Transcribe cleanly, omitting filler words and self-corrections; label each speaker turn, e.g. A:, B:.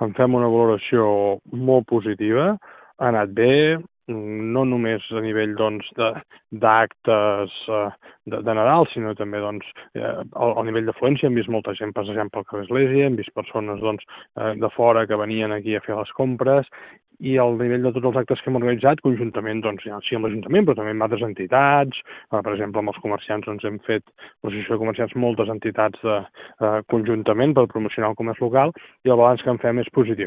A: en fem una valoració molt positiva, ha anat bé, no només a nivell d'actes de Nadal, sinó també al nivell d'afluència. Hem vist molta gent passejant pel carrer Església, hem vist persones de fora que venien aquí a fer les compres, i al nivell de tots els actes que hem organitzat, conjuntament, sí amb l'Ajuntament, però també amb altres entitats, per exemple, amb els comerciants hem fet, l'associació de comerciants, moltes entitats conjuntament per promocionar el comerç local, i el balanç que en fem és positiu.